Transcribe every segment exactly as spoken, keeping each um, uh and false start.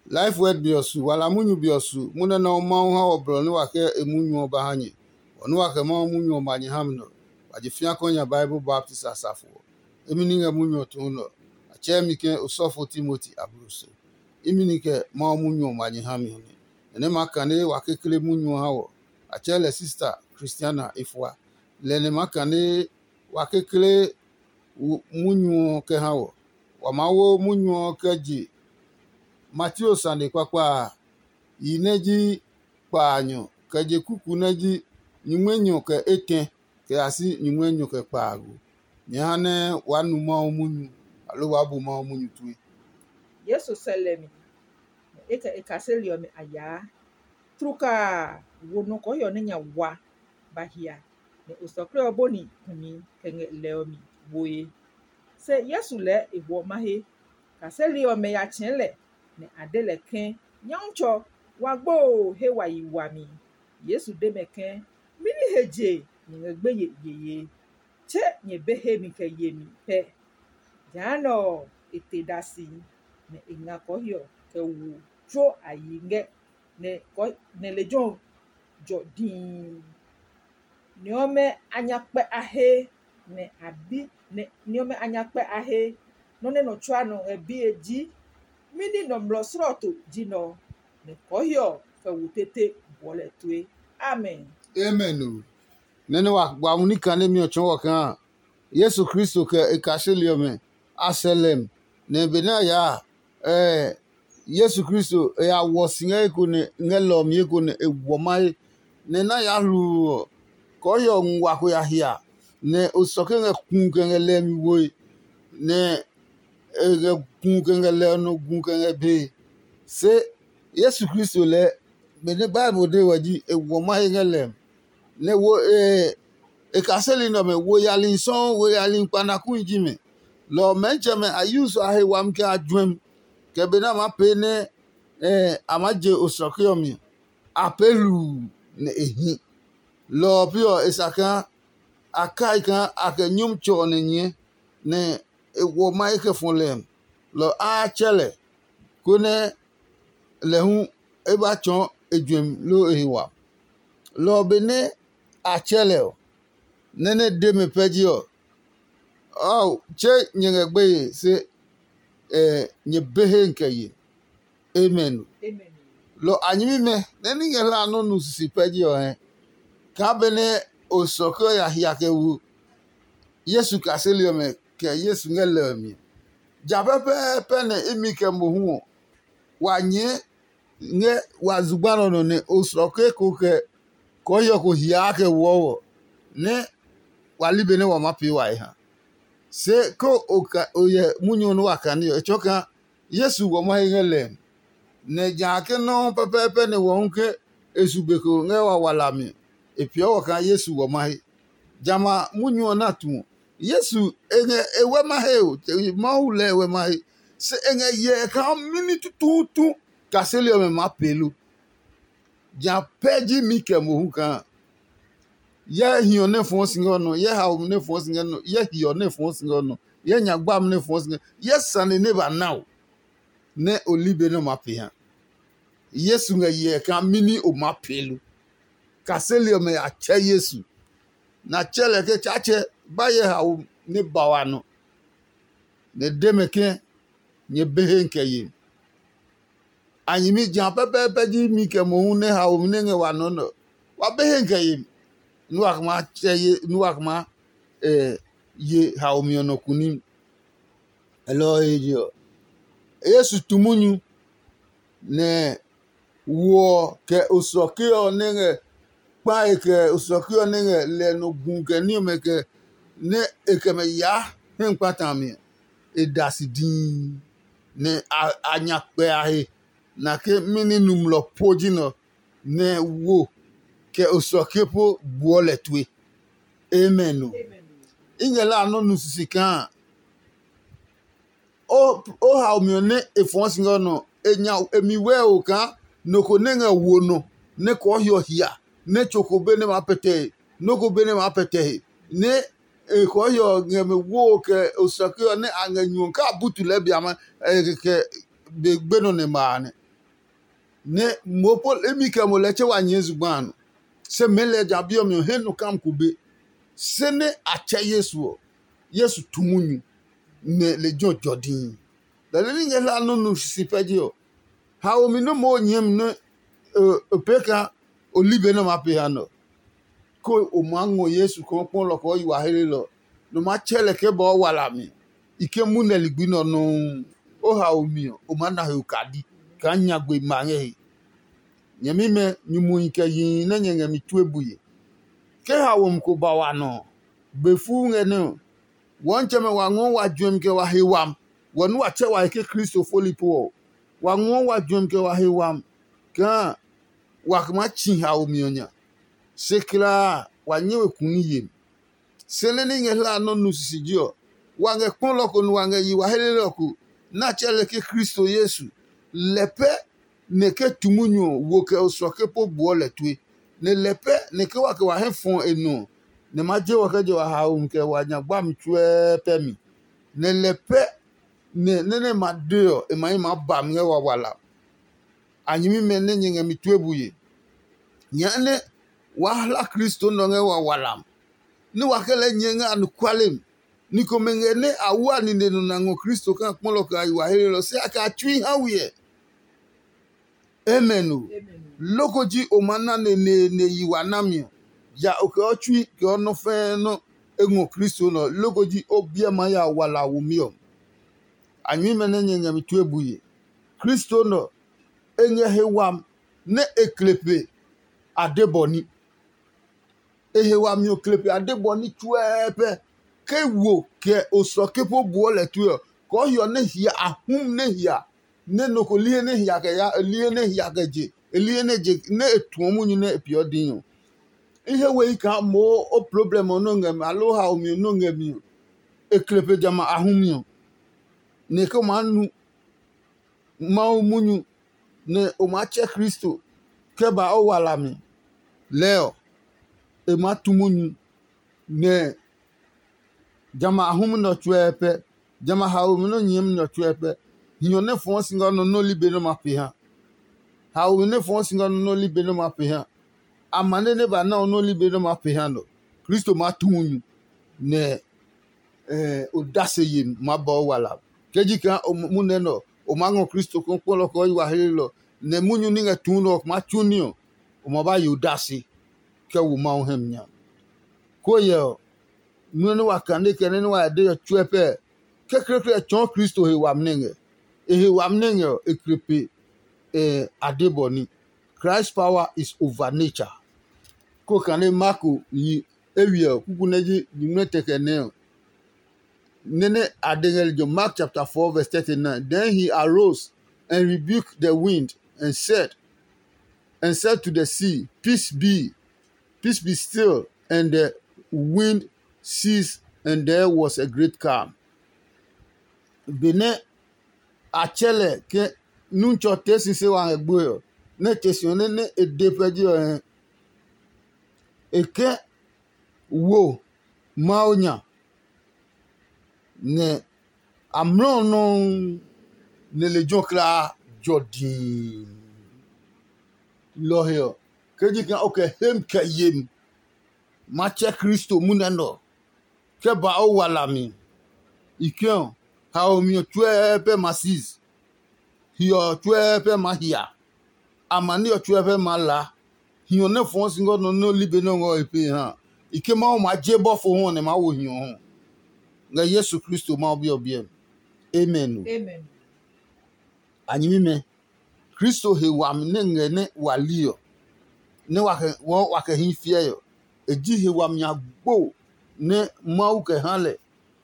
Life Word be ɔ su, wala munyu be ɔ su, munyu nɛ Mawu ha wɔ blɔ nɛ wa kɛ e munyu ɔ ba ha nyɛ. Bɔ nɛ wa kɛ Mawu munyu ɔ ma nyɛ ha mi nɛ ɔ, wa je fĩa kɔ nya Bible baptist asafo ɔ. Imi ní ngɛ munyu ɔ tuun nɛ ɔ, a tsɛɛ mi ke osɔfo Timoti abloso. Imi ní kɛ Mawu munyu ɔ ma nyɛ ha mi ɔ nɛ. Nɛ nɛ maa kane wa kekle munyu ɔ ha wɔ, a tsɛɛ lɛ sista Kristiana e fua. Lɛ nɛ maa kane wa kekle munyu ɔ kɛ ha wɔ. Wa maa wo munyu ɔ kɛ je Mateo sane kpakpa a, yi nɛ ji kpaanyɔ, kɛ je kuku nɛ ji nyuŋmɛnyɔ kɛ etɛ, kɛ ya si nyuŋmɛnyɔ kɛ kpaago. Nyɛ ha nɛ waa nu Mawu munyu, aloo waa bu Mawu munyu tue. Yesu sɛ lɛ mi, nɛ e kɛ e kaseli ɔmɛ a yaa. Tlukaa a, wo nɔ kɔɔhiɔ nɛ nya wa ba hia, nɛ osɔkle ɔ bɔni kumi kɛ ngɛ lɛ ɔ mi woe. Se Yesu lɛɛ e hwɔ mahe. Kaseli ɔmɛ ya tsɛ̃ɛ̃ lɛ, nɛ a de lɛ ke, “Nyɔmtsɛ, wa gbo oo, he wa yi wami.” Yesu de mɛ ke, “Mɛni he je nyɛ ngɛ gbeye yeye? Tse nyɛ be hemi kɛ yemi pɛ.” Jehanɛ ɔ, e te da si, nɛ e nga kɔɔhiɔ kɛ wo tsuo a yi ngɛ nɛ lejɛ ɔ jɔ dii. Ni ɔmɛ a nya kpɛ a he, nɛ a bi nɛ ni ɔmɛ a nya kpɛ a he. Nɔ́ nɛ nɔ tsuaa nɔ ngɛ bie ji, mɛni nɔmlɔ slɔɔto ji nɛ ɔ? Nɛ kɔɔhiɔ ɔ kɛ wo tete buɔ lɛ tue. Amen. Amen o. Nɛ nɛ wa gba mu ní kanemi ɔ tsɔɔ wɔ kaa Yesu Kristo kɛ e kaseli ɔmɛ a sɛ lɛm, nɛ benɛ a yaa a, Yesu Kristo e ya wɔ si ngɛ eko nɛ ngɛ lɛ ɔ mi eko nɛ e wɔ mahe, nɛ na yaa hluu ɔ, kɔɔhiɔ ɔ ngua ko ya hia, nɛ osɔke ngɛ kuu kɛ ngɛ lɛ mi woe, nɛ e ngɛ kuu kɛ ngɛ lɛ ɔ nɔ gu kɛ ngɛ bee. Se Yesu Kristo lɛɛ, benɛ Bible de wɛ ji e wɔ mahe ngɛ lɛ mi, nɛ wo e e kaseli nɛ ɔmɛ wo yali sɔuu, wo yali kpanakui ji mɛ. Lɔ ɔ mɛntsɛmɛ a yu so a he wami kɛ a juɛmi, kɛ benɛ a maa pee nɛ a maa je osɔke ɔ mi ɔ, a pee hluu nɛ e hi. Lɔ ɔ pee ɔ, e sa kaa a kai kaa a kɛ nyɔmtsɛ ɔ nɛ nyɛɛ, nɛ e wɔ mahe kɛ fɔ lɛ ɔ, lɔ ɔ a tsɛ lɛ, konɛ lɛ hu e ba tsɔɔ e juɛmi loo e he wami. Lɔ ɔ benɛ a tsɛ lɛ ɔ, nɛ nɛ de mɛ pɛ ji ɔ, ao, tse nyɛ ngɛ gbeye se nyɛ be he kɛ ye. Amen. Lɔ a nyɛmimɛ nɛ ní ngɛ hlaa nɔ́ nu sisi pɛ ji ɔ hɛ, kaa benɛ osɔke ɔ ya hia kɛ wo Yesu kaseli ɔmɛ kɛ Yesu ngɛ lɛ ɔ mi. Ja pɛpɛɛpɛ nɛ imi kɛ mohu ɔ, wa nyɛɛ ngɛ wa zugba nɔ nɔ nɛ osɔke ko kɛ kɔɔhiɔ ko hiaa kɛ woɔ wɔ, nɛ wa li benɛ wa maa pee wa he ha. Se ko o yɛ munyu ɔ nɛ wa kane ɔ, e tsɔɔ kaa Yesu wɔ mahe ngɛ lɛ ɔ. Nɛ ja ke nɔuu pɛpɛɛpɛ nɛ wɔ hu ke e su be ko ngɛ wawala mi, e peeɔ wɔ kaa Yesu wɔ mahe. Jamɛ a munyu ɔ na tu ɔ, Yesu e ngɛ e wɛ mahe o, Mawu lɛ e wɛ mahe, se e ngɛ hyɛ kaa mɛni tutuutu kaseli ɔmɛ maa pee lo. Ja pɛ ji mi kɛ mohu kaa yɛ hiɔ nɛ fɔɔ si ngɛ nɔ, yɛ haomi nɛ fɔɔ si ngɛ nɔ, yɛ hiɔ nɛ fɔɔ si ngɛ nɔ, yɛ nyagbami nɛ fɔɔ si ngɛ, yɛ sane nɛ ba na o, nɛ o li be nɛ o maa pee ha. Yesu ngɛ hyɛ kaa mɛni o maa pee lo. Kaseli ɔmɛ ya tsɛ Yesu, nɛ a tsɛ lɛ ke, “Tsaatsɛ, ba hyɛ haomi nɛ ba wa nɔ.” Nɛ e de mɛ ke, “Nyɛ be he kɛ ye.” A nyɛmi ja pɛpɛɛpɛ ji mi kɛ mohu nɛ haomi nɛ ngɛ wa nɔ nɛ ɔ, wa be he kɛ ye. Nú wa kɛ maa tsɛ ye, nú wa kɛ maa ye haomi ɔ nɔ kunim. Elɔ ɔ he je ɔ, Yesu tu munyu, nɛ wo ɔ kɛ osɔke ɔ nɛ ngɛ kpae kɛ osɔke ɔ nɛ ngɛ lɛ nɔ gu kɛ ní ɔmɛ kɛ nɛ e kɛ mɛ yaa hɛ kpata a mi ɔ, e da si dii, nɛ a nya kpɛ a he nake mɛni nɔmlɔ po ji nɛ ɔ, nɛ wo kɛ osɔke po gbuɔ lɛ tue. Amen o. I ngɛ la a nɔ́ nu sisi kaa o hao mi ɔ nɛ e fɔɔ si ngɛ nɔ, e nya e mi wɛo kaa nɔ ko nɛ ngɛ wo nɔ nɛ kɔɔ hiɔ hia nɛ tso ko be nɛ maa pɛtɛ he, nɔ ko be nɛ maa pɛtɛ he, nɛ e kɔɔ hiɔ ngɛ mɛ wo kɛ osɔke ɔ nɛ a ngɛ nyuɔ kaa butu lɛɛ bia ma kɛ be gbenɔ nɛ ma a nɛ. nɛ mo po imi kɛ mo lɛ tse wa nyɛɛ zugba a nɔ. Se mɛɛ lɛ ja bi ɔ mi ɔ hɛ nɔ kam ko be. Se nɛ a tsɛ Yesu ɔ, Yesu tu munyu, nɛ lejɛ ɔ jɔ dii. Lɛ nɛ ní ngɛ hla nɔ nu sisi pɛ je ɔ, haomi nɛ moo nyɛɛmi nɛ e pee kaa o li be nɛ ma pe ha nɔ. Ko o maa ngɔ Yesu kaa o kpɔ lɔ kaa o yi wa helelɔ, nɔ maa tsɛ lɛ kɛ ba o walami. I ke munɛ ligbi nɛ ɔ nɔuu, o haomi ɔ, o maa na he okadi kaa nyagbe ma ngɛ he. Nyɛmimɛ, nyumuhi kɛ yihi nɛ nyɛ ngɛ mi tue bue. Ke haomi ko ba wa nɔ ɔ, be fuu ngɛ nɛ ɔ, wɔ nitsɛmɛ wa ngɔɔ wa juɛmi kɛ wa he wami, wɔ nɛ wa tsɛ wa he ke Kristo foli po ɔ. Wa ngɔɔ wa juɛmi kɛ wa he wami kaa wa maa tsi haomi ɔ nya. Se kulaa a, wa nyɛ we kuni yemi. Se nɛ ní ngɛ hla nɔ́ nu sisiji ɔ, wa ngɛ kpɔlɔ ko nɛ wa ngɛ yi wa helelɔ ko, nɛ a tsɛɛ lɛ ke Kristo Yesu. Lɛ pɛ nɛ ke tu munyu ɔ, wo kɛ osɔke po buɔ lɛ tue. Nɛ lɛ pɛ nɛ ke wa kɛ wa hɛ fɔ e nɔ ɔ, nɛ ma je wɔ kɛ je wa haomi kɛ wa nya gbami tsuɛɛ pɛ mi. Nɛ lɛ pɛ nɛ nɛ nɛ ma de ɔ, e ma hi maa ba mi ngɛ wawala. A nyɛmimɛ nɛ nyɛ ngɛ mi tue bue. Nyɛɛ nɛ waa hla Kristo nɔ ngɛ wawala mi, nɛ wa kɛ lɛɛ nyɛɛ ngɛ anɔkuale mi. Ni komɛ ngɛ nɛ a wua nine nɔ na ngɔ Kristo kaa kpɔlɔ kɛ a yi wa helenɔ, se a kɛ a tsui ha we ɛ. Amen o. Loko ji o ma na neneene yi wa nami ɔ, ja o kɛ ɔ tsui kɛ ɔ nɔ fɛɛ nɔ e ngɔ Kristo nɔ, loko ji o biɛ maa ya wala womi ɔ. A nyɛmimɛ nɛ nyɛ ngɛ mi tue bue. Kristo nɔ e ngɛ he wami nɛ e kle pe a de bɔ ní. E he wami ɔ kle pe a de bɔ ní tsuɛɛ pɛ. Ke wo kɛ osɔke po buɔ lɛ tue ɔ, kɔɔ hiɔ nɛ hia a hum nɛ hia, nɛ nɔ ko li he nɛ hia kɛ ya, li he nɛ hia kɛ je, e li he nɛ je nɛ e tuɔ munyu nɛ e peeɔ dii ɔ. I he wehi kaa moo o problem ɔ nɔ ngɛ mi, aloo haomi ɔ nɔ ngɛ mi ɔ, e kle pe jamɛ a hu mi ɔ, nɛ e ke o maa nu Mawu munyu nɛ o maa tsɛ Kristo kɛ ba o walami. Lɛɛ ɔ, e maa tu munyu nɛ jamɛ a humi nɛ ɔ tsuɛ pɛ, jamɛ a haomi nɛ ɔ nyɛɛmi nɛ ɔ tsuɛ pɛ. Hiɔ nɛ fɔɔ si ngɛ nɔ nɛ o li be nɛ o ma pee ha. Haomi nɛ fɔɔ si ngɛ nɔ nɛ o li be nɛ o ma pee ha. Amane nɛ ba na ɔ nɛ o li be nɛ o ma pee ha nɔ. Kristo maa tu munyu nɛ odase yemi maa ba o wala. Ke ji kaa o munɛ nɛ ɔ, o maa ngɔ Kristo kɔkpɔlɔ kɛ o yi wa helenɔ, nɛ munyu ní ngɛ tuu nɛ ɔ maa tsu ní ɔ, o ma ba ye odase kɛ wo Mawu hɛ mi nya. Ko yɛ ɔ, nɔ́ nɛ wa kane kɛ nɛ wa ya de ɔ tsuɛ pɛ kekleekle ɔ tsɔɔ Kristo he wami nɛ ngɛ. E he wami nɛ ngɛ ɔ, e kle pe a de bɔ ní. Christ power is over nature. Ko kane Marko yi eywiɛ ɔ, kuku nɛ ji nyingmɛ tɛkɛ nɛ ɔ, nɛ nɛ a de ngɛ lejɛ Mark chapter four verse thirty-nine. Then he arose and rebuked the wind and said, and said to the sea, "Peace be, peace be still." And the wind ceased, and there was a great calm. Benɛ a tsɛ lɛ ke nu tsɔ tee sise wa ngɛ gboe ɔ, nɛ e te si ɔ nɛ e de pɛ ji ɔ hɛ, e ke wo Mawu nya, nɛ amlɔ ɔ nɔuu nɛ lejɛ ɔ kulaa jɔ dii. Lɔ ɔ he ɔ, ke ji kaa o kɛ hem kɛ yemi ma tsɛ Kristo munɛ nɛ ɔ, kɛ ba o walami. I ke ɔ, haomi ɔ tsuɛɛ pɛ ma sis, hiɔ ɔ tsuɛɛ pɛ ma hia, amani ɔ tsuɛɛ pɛ ma la. Hiɔ nɛ fɔɔ si ngɔ nɔ nɛ o li be nɛ o ngɔ he pee ha. I ke Mawu maa je bɔfo hu ɔ nɛ maa wo hiɔ hu ngɛ Yesu Kristo Mawu Bi ɔ biɛ mi. Amen. A nyɛmimɛ, Kristo he wami nɛ ngɛ nɛ wa li ɔ, nɛ wa kɛ hii fiɛ ɔ, e ji he wami agbo nɛ Mawu kɛ ha lɛ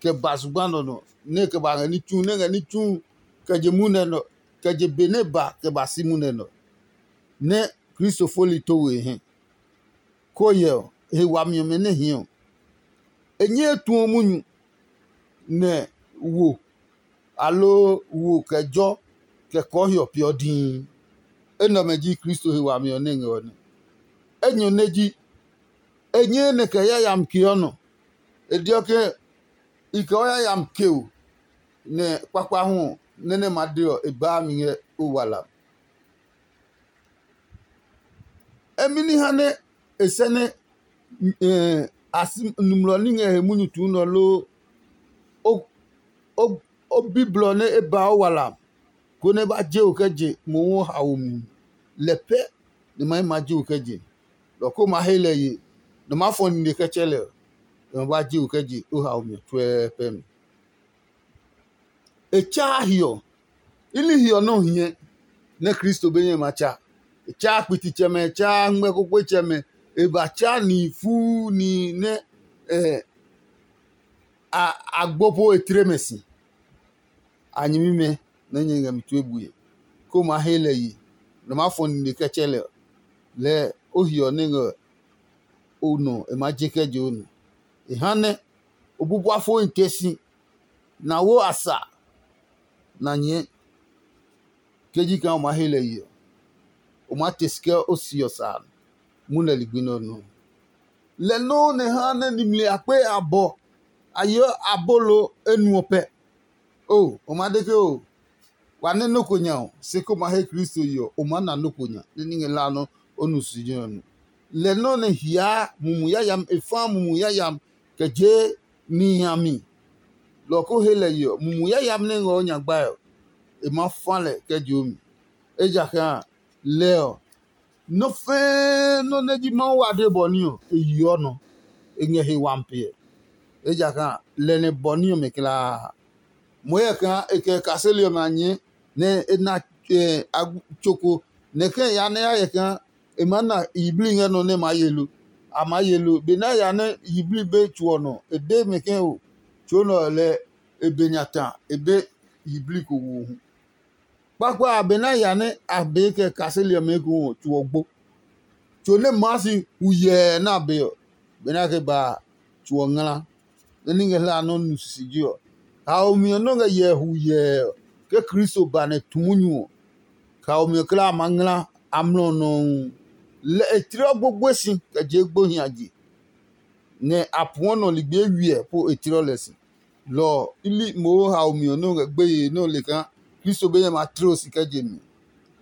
kɛ ba zugba nɔ nɔ, nɛ e kɛ ba ngɛ ní tsu, nɛ ngɛ ní tsu kɛ je munɛ nɔ, kɛ je be nɛ ba kɛ ba si munɛ nɔ, nɛ Kristo foli to we e hɛ. Ko yɛ ɔ, he wami ɔmɛ nɛ hii ɔ, e nyɛɛ tuɔ munyu nɛ wo, aloo wo kɛ jɔ kɛ kɔɔ hiɔ peeɔ dii. Enɛ ɔmɛ ji Kristo he wami ɔ nɛ ngɛ ɔ nɛ. Enyɔ nɛ ji, e nyɛɛ nɛ kɛ yayami keɔ nɔ. E deɔ ke i kɛ o yayami keo, nɛ kpakpa hu ɔ, nɛ nɛ ma de ɔ, e baa mi ngɛ o wala. Mɛni ha nɛ e sɛ nɛ a si numlɔ ní ngɛ he munyu tuu nɔ loo o bi blɔ nɛ e ba o wala, konɛ e ba je o kɛ je mohu o haomi? Lɛ pɛ nɛ ma yi ma je o kɛ je. Lɔ ko ma he lɛ ye, nɔ ma fɔ nine kɛ tsɛ lɛ ɔ, nɔ ma ba je o kɛ je o haomi ɔ tsuɛɛ pɛ mi. E tsaa hiɔ. I ní hiɔ nɛ ɔ hiɛ nɛ Kristo be nyɛ ma tsa. E tsaa kpititsɛmɛ, e tsaa ngmɛ kpokpotsɛmɛ, e ba tsa ni fuu ni nɛ a gbo po e tle mɛ si. A nyɛmimɛ nɛ nyɛ ngɛ mi tue bue, ko ma he lɛ yi, nɔ ma fɔ nine kɛ tsɛ lɛ ɔ, lɛɛ o hiɔ nɛ ngɛ o nɔ e ma je kɛ je o nɔ. E ha nɛ o bubua fohi te si, na wo a sa na nyɛɛ. Ke ji kaa o maa he lɛ yi ɔ, o maa te si kɛ o si ɔ sa a, munɛ ligbi nɛ ɔ nɔ. Lɛ nɔuu nɛ ha nɛ nimli akpe abɔ a yeɔ abolo enuɔ pɛ. O, o ma de ke o wa nɛ nɔ́ ko nya ɔ, se ko ma he Kristo yi ɔ, o maa na nɔ́ ko nya nɛ ní ngɛ la nɔ́ o nu si jɛ ɔ nu. Lɛ nɔ́ nɛ hiaa mumi yayami e faa mumi yayami kɛ jee nihi a mi. Lɔ ɔ ko he lɛ yi ɔ, mumi yayami nɛ ngɛ o nya gbae ɔ, e maa fa lɛ kɛ je o mi. Ejakaa a, lɛ ɔ, nɔ́ fɛ́ɛ́ nɔ́ nɛ ji Mawu wade bɔ ní ɔ, e yeɔ nɔ, e ngɛ he wami piɛ. Ejakaa a, lɛ nɛ bɔ ní ɔmɛ kulaa. Mo hyɛ kaa e kɛ e kaseli ɔmɛ a nyɛɛ, nɛ e na tso ko, nɛ kɛ e ya nɛ e ya hyɛ kaa e maa na yiblii ngɛ nɔ nɛ e maa ye lo. A maa ye lo. Benɛ a ya nɛ yiblii be tso ɔ nɔ, e de mɛ ke o, tso nɛ ɔ lɛɛ e be nya ta e be yiblii ko wohu. Kpakpa a, benɛ a ya nɛ a bee kɛ e kaseli ɔmɛ ekohu ɔ, tso ɔ gbo. Tso nɛ maa si hu yɛɛ nɛ a be ɔ, benɛ a kɛ ba a, tso ɔ ngla. Nɛ ní ngɛ hlaa nɔ́ nu sisiji ɔ, haomi ɔ nɔ́ ngɛ yɛɛ hu yɛɛ ɔ, ke Kristo ba nɛ tu munyu ɔ, haomi ɔ kulaa a maa ngla amlɔ ɔ nɔuu. Lɛ e tlɔ gbogboe si kɛ je gbohi a je, nɛ a puɔ nɔ ligbi eywiɛ po e tlɔ lɛ si. Lɔ ɔ, i li mohu haomi ɔ nɔ́ ngɛ gbeye nɛ o le kaa Kristo be nyɛ ma tle o si kɛ je mi,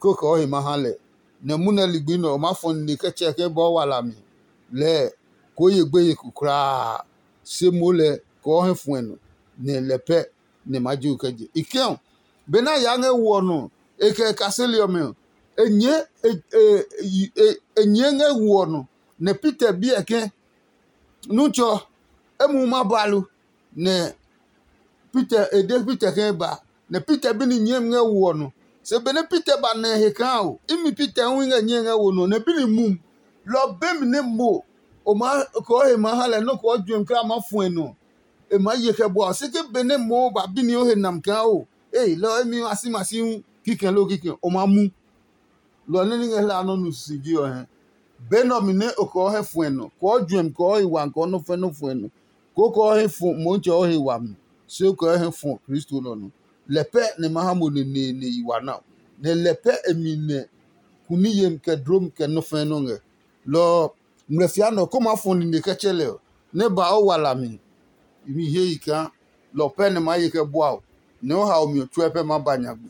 kó kɛ o he ma ha lɛ. Nɛ munɛ ligbi nɛ ɔ maa fɔ nine kɛ tsɛ ke bɔɔ wala mi. Lɛɛ koo ye gbeye ko kulaa, se moo lɛ kɛ o hɛ fuɛ nɔ, nɛ lɛ pɛ nɛ ma je o kɛ je. I kɛ̃ ɔ, benɛ a yaa ngɛ wo ɔ nɔ, e kɛ e kaseli ɔmɛ ɔ, e nyɛɛ e e e e nyɛɛ ngɛ wo ɔ nɔ, nɛ Peter bi ɛ ke, Nutsɔ, e mu ma ba lo? Nɛ Peter e de Peter ke e ba, nɛ Peter bi ni nyɛɛmi ngɛ wo ɔ nɔ. Se benɛ Peter ba nɛ e he kaa o, imi Peter hu i ngɛ nyɛe ngɛ wo nɔ, nɛ bi ni mumi. Lɔ ɔ be mi nɛ mo o maa kɔɔ he maa ha lɛ nɔ́ kɔɔ juɛmi kulaa maa fuɛ nɔ. E maa ye kɛ bua ɔ, se ke benɛ mo ba bi ni o he nami kaa o, ee, lɔ ɔ emi a si ma si hu kikɛ loo kikɛ o maa mu. Lɔ ɔ nɛ ní ngɛ hlaa nɔ́ nu sisiji ɔ hɛ. Be nɛ ɔ mi nɛ o kɔɔ hɛ fuɛ nɔ, kɔɔ juɛmi, kɔɔ he wami, kɔɔ nɔ́ fɛ nɔ́ fuɛ nɔ, koo kɔɔ he fɔ Motsɛ ɔ he wami, se o kɔɔ hɛ fɔ Kristo nɔ nɔ. Lɛ pɛ nɛ ma ha mo neneene yi wa na, nɛ lɛ pɛ e mi nɛ kuni yemi kɛ dlomi kɛ nɔ́ fɛɛ nɔ́ ngɛ. Lɔ ɔ, ngmlɛfia nɛ ɔ ko maa fɔ nine kɛ tsɛ lɛ ɔ, nɛ ba o wala mi. I mi hie yi kaa lɔ ɔ pɛ nɛ maa ye kɛ bua o, nɛ o hao mi ɔ tsuɛ pɛ maa ba nyagbe.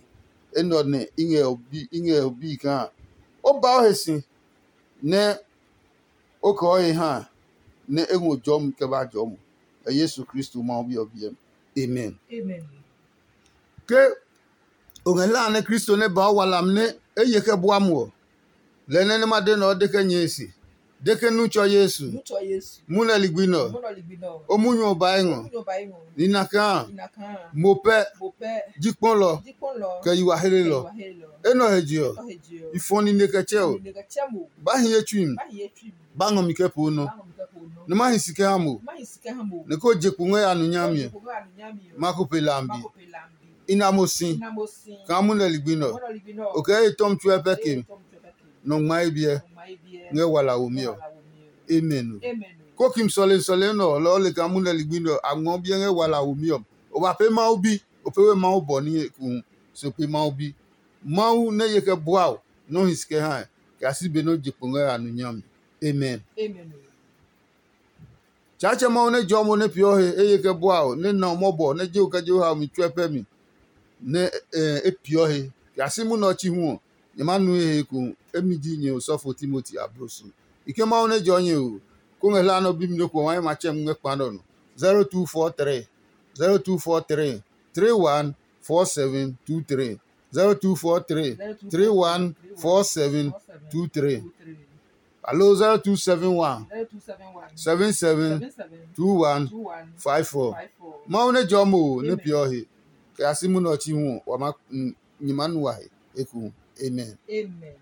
Enɛ ɔ nɛ i ngɛ o bi i ngɛ o bi kaa o ba o he si nɛ o kɛ o he ha nɛ e ngɔ jɔmi kɛ ba jɔɔ mo. Ɛ Yesu Kristo Mawu Bi ɔ biɛ mi. Amen. Amen. Ke o ngɛ hlaa nɛ Kristo nɛ ba o wala mi nɛ e ye kɛ bua mo ɔ, lɛ nɛ nɛ ma de nɛ ɔ de kɛ nyɛe se, de ke nu tsɔ Yesu, Nutsɔ Yesu, mu nɛ ligbi nɛ ɔ, munɔ ligbi nɔ, o munyu ɔ ba ngɔ. Munɔ ba ngɔ. Nina kaa, Inakaa, mo pɛ, mo pɛ, ji kpɔlɔ, jikpɔlɔ, kɛ yiwa helelɔ. Yiwa helelɔ. Enɔ he je ɔ, Ɔ he je ɔ, i fɔ nine kɛ tsɛ o, Nine kɛ tsɛ mo, ba hi ye tsui mi, Ba hi ye tsui mi, ba ngɔ mi kɛ poo nɔ, Ba ngɔ mi kɛ poo nɔ, nɛ ma hi si kɛ ha mo, Ma hi si kɛ ha mo, nɛ ko je kpo ngɛ ya nu nyami ɔ, Ko je kpo ngɛ ya nu nyami ɔ, ma ko pe lambi. Ma ko pe lambi. I na mo si, I na mo si, Kaa mu nɛ ligbi nɔ, Munɔ ligbi nɔ, o kɛ ye tɔmi tsuɛ pɛ ke mi. Tɔmi tsuɛ pɛ ke mi. Nɔ ngma ye biɛ, Nɔ ngma ye biɛ, ngɛ wala wo mi ɔ. Wala wo mi ɔ. Amen o. Amen o. Ko kim sɔle sɔle nɔ lɔ le kaa mu nɛ ligbi nɔ a ngɔ biɛ ngɛ wala wo mi ɔ. O ba pe Mawu bi, o pe we Mawu bɔ ní ekuhu, so pe Mawu bi. Mawu nɛ ye kɛ bua o, nɔ hi si kɛ ha ɛ, kɛ a si be nɔ je kpo ngɛ a nu nyami. Amen. Amen o. Tsaatsɛ Mawu nɛ jɔɔ mo nɛ peeɔ he, eye kɛ bua o, nɛ na o mɔbɔ, nɛ je o kɛ je o hao mi tsuɛ pɛ mi, nɛ e peeɔ he. Kɛ a si munɛ ɔ chi hu ɔ, Nyɛ ma nu he ko. Emi ji nyɛ osɔfo Timoti abloso. I ke Mawu nɛ jɔ nyɛ o, ko ngɛ hla nɔ bi mi nɔ ko wa ma tsɛ ngɛ kpa nɔ no. zero two four three, zero two four three, three one four seven two three, zero two four three, three one four seven two three. Alo zero two seven one, seven seven two one five four. Mawu nɛ jɔ mo nɛ piɔ he kɛ a si munɔ chi hu wa ma nyima nu wa he eku. Amen. Amen.